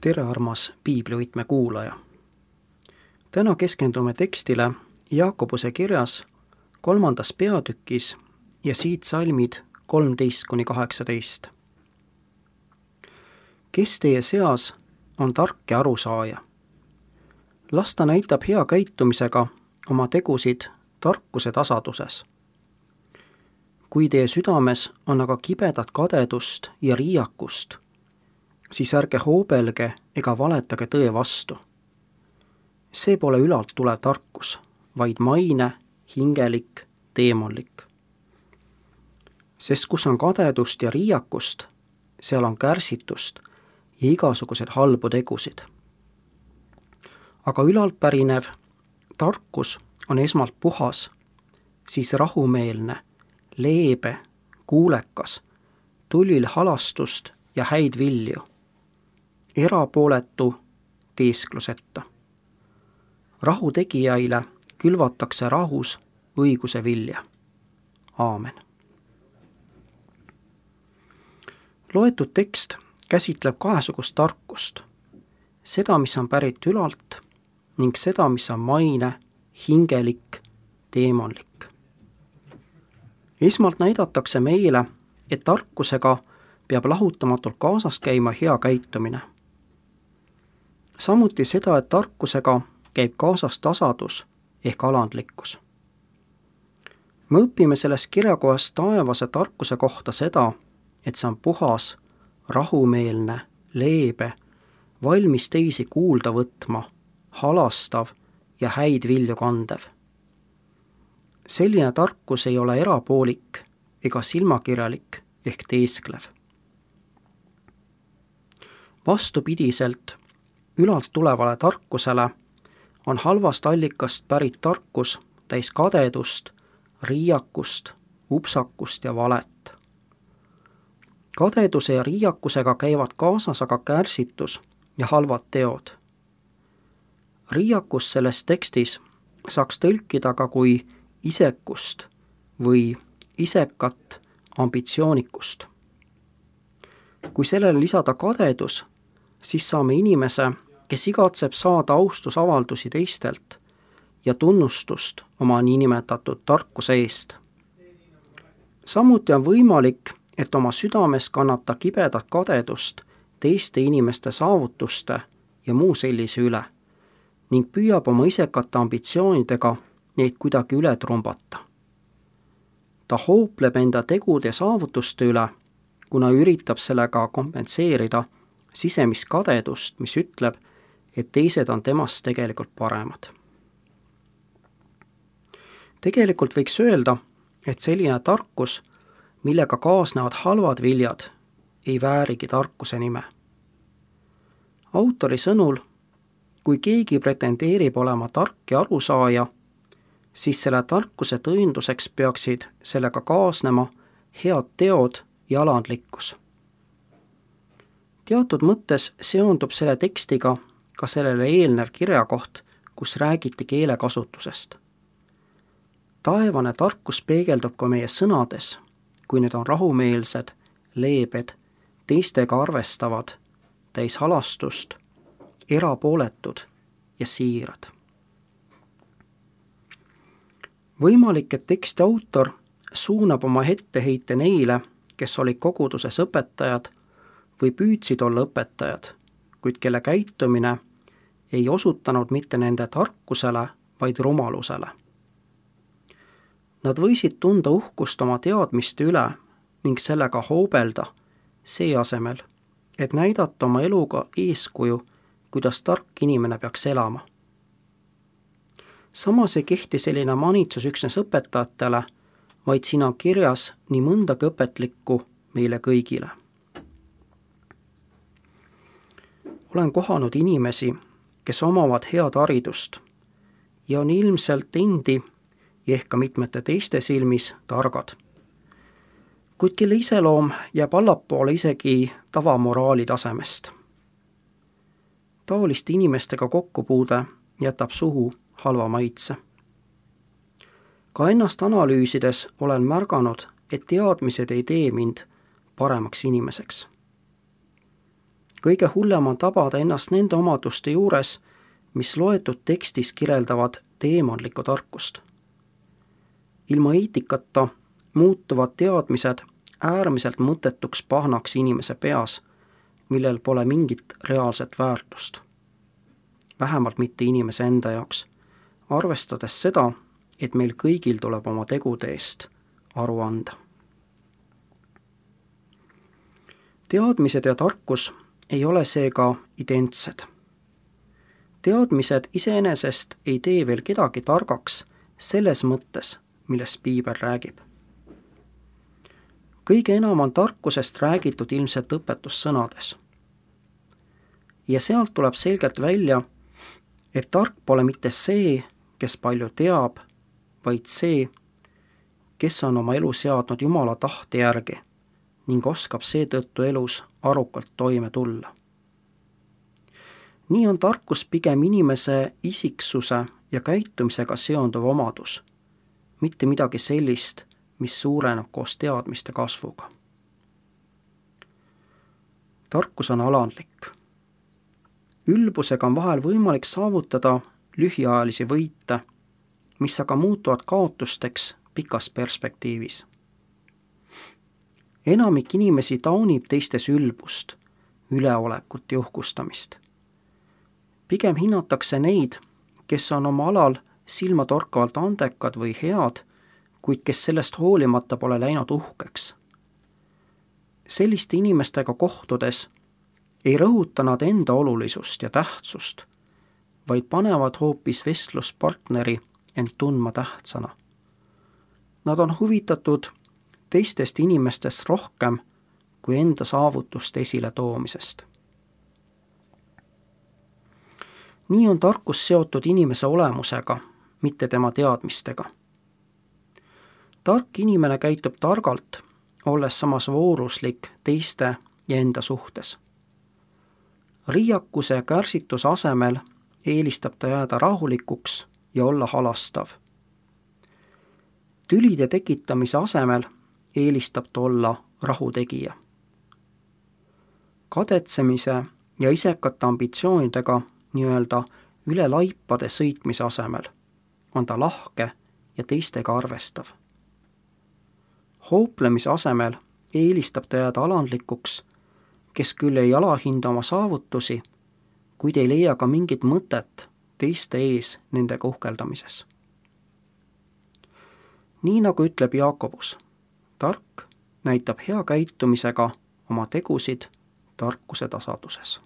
Tere, armas piiblivõtme kuulaja! Täna keskendume tekstile Jaakobuse kirjas 3. peatükis ja siit salmid 13–18. Kes teie seas on tark ja arusaaja? Las ta näitab hea käitumisega oma tegusid tarkuse tasaduses. Kui teie südames on aga kibedat kadedust ja riiakust, siis ärge hoobelge ega valetage tõe vastu. See pole ülalt tulev tarkus, vaid maine, hingelik, teemonlik. Sest kus on kadedust ja riiakust, seal on kärsitust ja igasuguseid halbu tegusid. Aga ülalt pärinev tarkus on esmalt puhas, siis rahumeelne, leebe, kuulekas, tulvil halastust ja häid vilju, erapooletu, teeskluseta. Rahu tegijaile külvatakse rahus õiguse vilja. Aamen. Loetud tekst käsitleb kahesugust tarkust, seda, mis on pärit ülalt, ning seda, mis on maine, hingelik, teemonlik. Esmalt näidatakse meile, et tarkusega peab lahutamatult kaasas käima hea käitumine. Samuti seda, et tarkusega käib kaasas tasadus ehk alandlikkus. Me õpime selles kirjakohas taevase tarkuse kohta seda, et see on puhas, rahumeelne, leebe, valmis teisi kuulda võtma, halastav ja häid vilju kandev. Selline tarkus ei ole erapoolik ega silmakirjalik ehk teesklev. Vastupidiselt ülalt tulevale tarkusele on halvast allikast pärit tarkus täis kadedust, riiakust, upsakust ja valet. Kadeduse ja riiakusega käivad kaasas aga kärsitus ja halvad teod. Riiakus selles tekstis saaks tõlkida ka kui isekust või isekat ambitsioonikust. Kui sellele lisada kadedus, siis saame inimese, kes igatseb saada austusavaldusi teistelt ja tunnustust oma niinimetatud tarkuse eest. Samuti on võimalik, et oma südames kannata kibedat kadedust teiste inimeste saavutuste ja muu sellise üle ning püüab oma isekate ambitsioonidega neid kuidagi üle trumbata. Ta hoopleb enda tegude ja saavutuste üle, kuna üritab sellega kompenseerida sisemist kadedust, mis ütleb, et teised on temast tegelikult paremad. Tegelikult võiks öelda, et selline tarkus, millega kaasnevad halvad viljad, ei väärigi tarkuse nime. Autori sõnul, kui keegi pretendeerib olema tark ja arusaaja, siis selle tarkuse tõenduseks peaksid sellega kaasnema head teod ja alandlikkus. Teatud mõttes seondub selle tekstiga ka sellele eelnev kirjakoht, kus räägiti keelekasutusest. Taevane tarkus peegeldub ka meie sõnades, kui need on rahumeelsed, leebed, teistega arvestavad, täis halastust, erapooletud ja siirad. Võimalik, et teksti autor suunab oma etteheite neile, kes olid koguduses õpetajad või püüdsid olla õpetajad, kuid kelle käitumine ei osutanud mitte nende tarkusele, vaid rumalusele. Nad võisid tunda uhkust oma teadmiste üle ning sellega hoobelda see asemel, et näidata oma eluga eeskuju, kuidas tark inimene peaks elama. Samas ei kehti selline manitsus üksnes õpetajatele, vaid siin on kirjas nii mõndagi õpetlikku meile kõigile. Olen kohanud inimesi, kes omavad head haridust ja on ilmselt endi ja ehk ka mitmete teiste silmis targad, kuid kelle iseloom jääb allapoole isegi tavamoraali tasemest. Taoliste inimestega kokkupuude jätab suhu halva maitse. Ka ennast analüüsides olen märganud, et teadmised ei tee mind paremaks inimeseks. kõige hullem on tabada ennast nende omaduste juures, mis loetud tekstis kirjeldavad teemonlikku tarkust. Ilma eetikata muutuvad teadmised äärmiselt mõttetuks pahnaks inimese peas, millel pole mingit reaalset väärtust. Vähemalt mitte inimese enda jaoks, arvestades seda, et meil kõigil tuleb oma tegude eest aru anda. Teadmised ja tarkus ei ole seega identsed. Teadmised iseenesest ei tee veel kedagi targaks selles mõttes, millest piibel räägib. Kõige enam on tarkusest räägitud ilmselt õpetussõnades. Ja sealt tuleb selgelt välja, et tark pole mitte see, kes palju teab, vaid see, kes on oma elu seadnud Jumala tahte järgi ning oskab seetõttu elus arukalt toime tulla. Nii on tarkus pigem inimese isiksuse ja käitumisega seonduv omadus, mitte midagi sellist, mis suureneb koos teadmiste kasvuga. Tarkus on alandlik. Ülbusega on vahel võimalik saavutada lühiajalisi võite, mis aga muutuvad kaotusteks pikas perspektiivis. Enamik inimesi taunib teistes ülbust, üleolekut ja uhkustamist. Pigem hinnatakse neid, kes on oma alal silmatorkavalt andekad või head, kuid kes sellest hoolimata pole läinud uhkeks. Selliste inimestega kohtudes ei rõhuta nad enda olulisust ja tähtsust, vaid panevad hoopis vestluspartneri end tundma tähtsana. Nad on huvitatud teistest inimestest rohkem kui enda saavutuste esile toomisest. Nii on tarkus seotud inimese olemusega, mitte tema teadmistega. Tark inimene käitub targalt, olles samas vooruslik teiste ja enda suhtes. Riiakuse ja kärsituse asemel eelistab ta jääda rahulikuks ja olla halastav. Tülide tekitamise asemel eelistab ta olla rahutegija. Kadetsemise ja isekate ambitsioonidega nii-öelda üle laipade sõitmise asemel on ta lahke ja teistega arvestav. Hooplemise asemel eelistab ta jääda alandlikuks, kes küll ei alahinda oma saavutusi, kuid ei leia ka mingit mõtet teiste ees nendega uhkeldamises. Nii nagu ütleb Jaakobus, tark näitab hea käitumisega oma tegusid tarkuse tasanduses.